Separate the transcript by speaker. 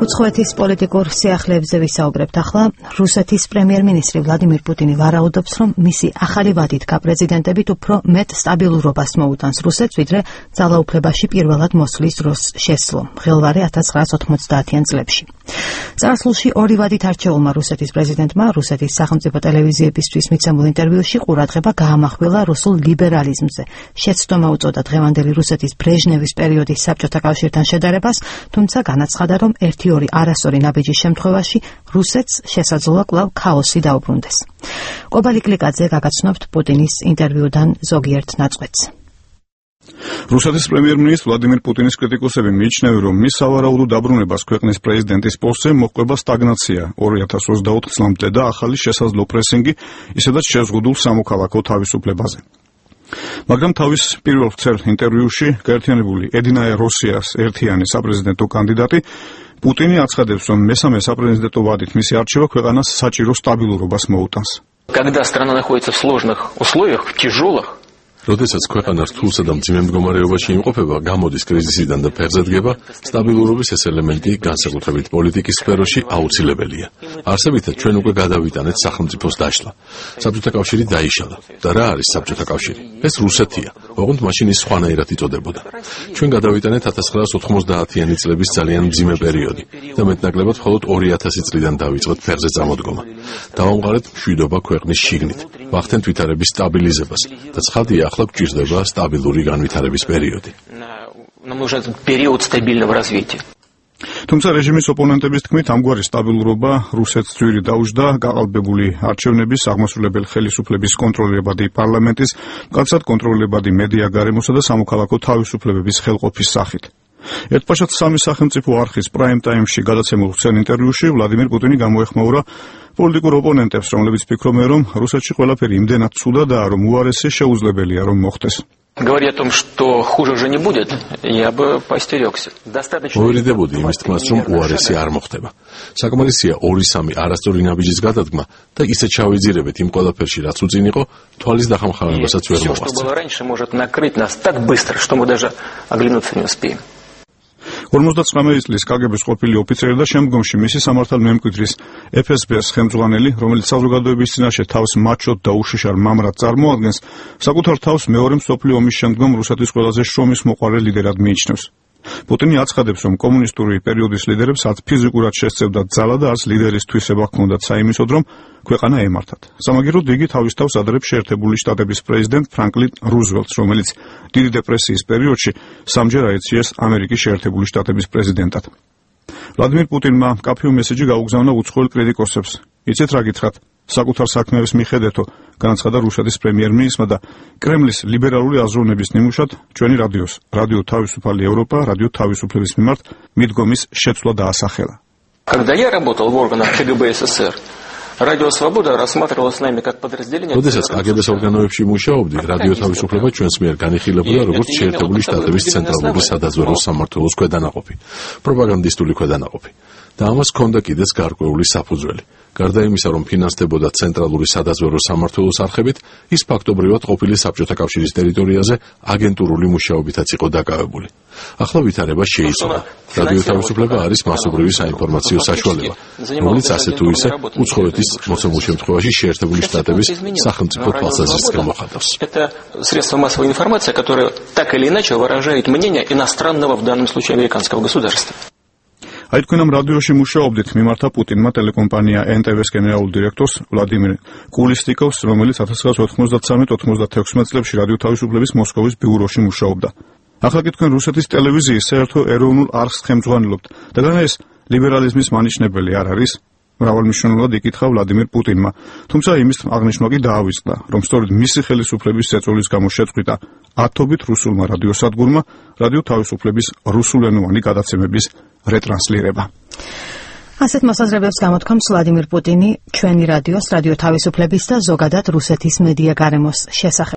Speaker 1: უცხოეთის პოლიტიკურ სიახლეებზე ვისაუბრებთ ახლა. რუსეთის პრემიერ-მინისტრი ვლადიმირ პუტინი ვარაუდობს, რომ მისი ახალი ვადით გაპრეზიდენტებით უფრო მეტ სტაბილურობას მოუტანს რუსეთს, ვიდრე ძალაუფლებაში პირველად მოსვლის დროს შესძლო, მღელვარე 1990-იან წლებში. წარსულში ორი ვადით არჩეულმა რუსეთის პრეზიდენტმა რუსეთის სახელმწიფო ტელევიზიებისთვის მიცემულ ინტერვიუში ყურადღება გაამახვილა რუსულ ლიბერალიზმზე. შეცდომა უწოდა დღევანდელი რუსეთის ბრეჟნევის პერიოდის საბჭოთა კავშირთან შედარებას, თუმცა განაცხადა, რომ ერთი-ორი არასწორი ნაბიჯის შემთხვევაში რუსეთს შესაძლოა კვლავ ქაოსი დაუბრუნდეს. კობალი კლიკაძე გაგაცნობთ პუტინის ინტერვიუდან ზოგიერთ ნაწყვეტს.
Speaker 2: რუსეთის პრემიერ-მინისტრ ვლადიმირ პუტინის კრიტიკოსები მიიჩნევენ, რომ მის სავარაუდო დაბრუნებას ქვეყნის პრეზიდენტის პოსტზე მოჰყვება სტაგნაცია 2024 წლამდე და ახალი შესაძლო პრესინგი, ისედაც შეზღუდულ სამოქალაქო თავისუფლებაზე. მაგრამ თავის პირველ ვრცელ ინტერვიუში გაერთიანებული ედინაე როსიას ერთიანი საპრეზიდენტო კანდიდატი პუტინი აცხადებს, რომ მესამე საპრეზიდენტო ვადით მისი არჩევა ქვეყანას საჭირო სტაბილურობას მოუტანს.
Speaker 3: Когда страна находится в сложных условиях, в тяжелых,
Speaker 4: როდესაც ქვეყანა რთულსა და მძიმე მდგომარეობაში იმყოფება, გამოდის კრიზისიდან და ფეხზე დგება, სტაბილურობის ეს ელემენტი განსაკუთრებით პოლიტიკის სფეროში აუცილებელია. არსებითად ჩვენ უკვე გადავიტანეთ სახელმწიფოს დაშლა. საბჭოთა კავშირი დაიშალა. და რა არის საბჭოთა კავშირი? ეს რუსეთია. ოღონდ მაშინ ის სხვანაირად იწოდებოდა. ჩვენ გადავიტანეთ 1990-იანი წლების ძალიან მძიმე პერიოდი და მეტნაკლებად მხოლოდ 2000 წლიდან დავიწყეთ ფეხზე წამოდგომა. დავამყარეთ მშვიდობა ქვეყნის შიგნით. ვახდენთ ვითარების სტაბილიზებას და ცხადია, ახლა გვჭირდება სტაბილური განვითარების პერიოდი.
Speaker 3: Нам нужен период стабильного развития.
Speaker 2: თუმცა რეჟიმის ოპონენტების თქმით, ამგვარი სტაბილურობა რუსეთს ძვირი დაუჯდა გაყალბებული არჩევნების, აღმასრულებელი ხელისუფლების კონტროლებადი პარლამენტის, მკაცრად კონტროლებადი მედია გარემოსა და სამოქალაქო თავისუფლებების ხელყოფის სახით. ერთპაშად სამი სახელმწიფო არხის პრაიმ ტაიმში გადაცემულ ვრცელ ინტერვიუში ვლადიმირ პუტინი გამოეხმაურა პოლიტიკურ ოპონენტებს, რომლებიც ფიქრობენ, რომ რუსეთში ყველაფერი იმდენად ცუდადაა, რომ უარესი შეუძლებელია რომ მოხდეს.
Speaker 3: Говоря о том, что хуже уже не будет, я бы поостерегся.
Speaker 4: მოვირიდებოდი იმის თქმას, რომ უარესი არ მოხდება. საკმარისია 2-3 არასწორი ნაბიჯის გადადგმა და ისე ჩავიძირებეთ იმ ყველაფერში, რაც უწინ იყო, თვალის დახამხავებასაც ვერ
Speaker 3: მოგვასწრებს. Что было раньше, может накрыть нас так быстро, что мы даже оглянуться не успеем.
Speaker 2: 59 წლის კგბ-ს ყოფილი ოფიცერი და შემდგომში მისი სამართალ მემკვიდრის FSB-ს ხელმძღვანელი, რომელიც საზოგადოების წინაშე თავს მაჩოდ და უშიშარ მამრად წარმოადგენს, საკუთარ თავს მეორე მსოფლიო ომის შემდგომ რუსეთის ყველაზე შრომის მოყვარე ლიდერად მიიჩნევს. პუტინი აცხადებს, რომ კომუნისტური პერიოდის ლიდერებს არც ფიზიკურად შესწევდათ ძალა და არც ლიდერის თვისება ჰქონდათ საიმისოდ, რომ ქვეყანა ემართათ. სამაგიეროდ იგი თავის თავს ადრებს შეერთებული შტატების პრეზიდენტ ფრანკლინ რუზველტს, რომელიც დიდი დეპრესიის პერიოდში სამჯერ აირჩიეს ამერიკის შეერთებული შტატების პრეზიდენტად. ვლადიმირ პუტინმა მკაფიო მესიჯი გაუგზავნა უცხოელ კრიტიკოსებს. იცით რა გითხრათ? საკუთარ საქმეების მიხედეთო, განაცხადა რუსეთის პრემიერ-მინისტრმა და კრემლის ლიბერალური აზროვნების ნიმუშად ჩვენი რადიოს, რადიო თავისუფალი ევროპა, რადიო თავისუფლების მიმართ მიდგომის შეცვლა დაასახელა.
Speaker 3: Когда я работал в органах КГБ СССР, Радио Свобода рассматривалось нами как подразделение.
Speaker 4: როდესაც კგბ-ს ორგანოებში მუშაობდი, რადიო თავისუფლება ჩვენს მიერ განიხილებოდა როგორც შეერთებული შტატების ცენტრალური სადაზვერვო სამმართველოს ქვედანაყოფი, პროპაგანდისტული ქვედანაყოფი. და ამას ჰქონდა კიდეც გარკვეული საფუძველი. გარდა იმისა, რომ ფინანსდებოდა ცენტრალური სადაზვერვო სამმართველოს არხებით, ის ფაქტობრივად ყოფილი საბჭოთა კავშირის ტერიტორიაზე აგენტურული მუშაობითაც იყო დაკავებული. ახლა ვითარება შეიცვალა. რადიო თავისუფლება არის მასობრივი საინფორმაციო საშუალება, რომელიც ასე თუ ისე უცხოეთის მოცემულ შემთხვევაში შეერთებული შტატების სახელმწიფო თვალსაზრისით მოხატავს.
Speaker 3: Это средство массовой информации, которое так или иначе выражает мнение иностранного, в данном случае американского государства.
Speaker 2: აი თქვენ ამ რადიოში მუშაობდით, მიმართა პუტინმა ტელეკომპანია NTV-ს გენერალურ დირექტორს ვლადიმირ კულისტიკოვს, რომელიც 1993-96 წლებში რადიო თავისუფლების მოსკოვის ბიუროში მუშაობდა. ახლა კი თქვენ რუსეთის ტელევიზიის საერთო ეროვნულ არხს ხელმძღვანელობთ და განა ეს ლიბერალიზმის მანიშნებელი არ არის? მრავალმნიშვნელოვნად იკითხა ვლადიმირ პუტინმა, თუმცა იმის აღნიშვნა კი დაავიწყდა, რომ სწორედ მისი ხელისუფლების წეწოლის გამო შეწყვიტა ათობით რუსულმა რადიოსადგურმა რადიო თავისუფლების რუსულენოვანი გადაცემების რეტრანსლირება. ასეთ მოსაზრებებს გამოთქვამს ვლადიმირ პუტინი ჩვენი რადიოს, რადიო თავისუფლების და ზოგადად რუსეთის მედია გარემოს შესახებ.